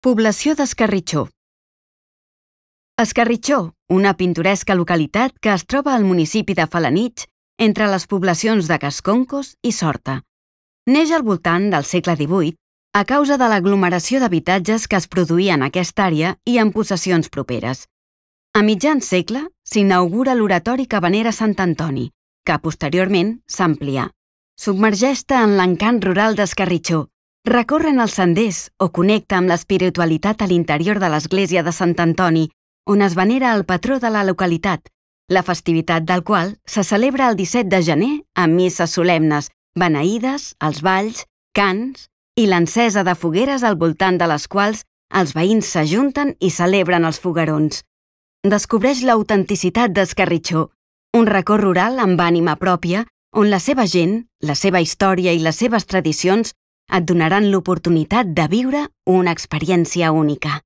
Població d'Escarritxó. Escarritxó, una pintoresca localitat que es troba al municipi de Felanitx, entre les poblacions de Casconcos i Sorta. Neix al voltant del segle XVIII a causa de l'aglomeració d'habitatges que es produïa en aquesta àrea i en possessions properes. A mitjan segle s'inaugura l'oratori que venera Sant Antoni, que posteriorment s'amplià. Submergeix-te en l'encant rural d'Escarritxó, recorren els senders o connecta amb l'espiritualitat a l'interior de l'església de Sant Antoni, on es venera el patró de la localitat, la festivitat del qual se celebra el 17 de gener amb misses solemnes, beneïdes, els balls, cants i l'encesa de fogueres al voltant de les quals els veïns s'ajunten i celebren els foguerons. Descobreix l'autenticitat d'Escarritxó, un racó rural amb ànima pròpia on la seva gent, la seva història i les seves tradicions et donaran l'oportunitat de viure una experiència única.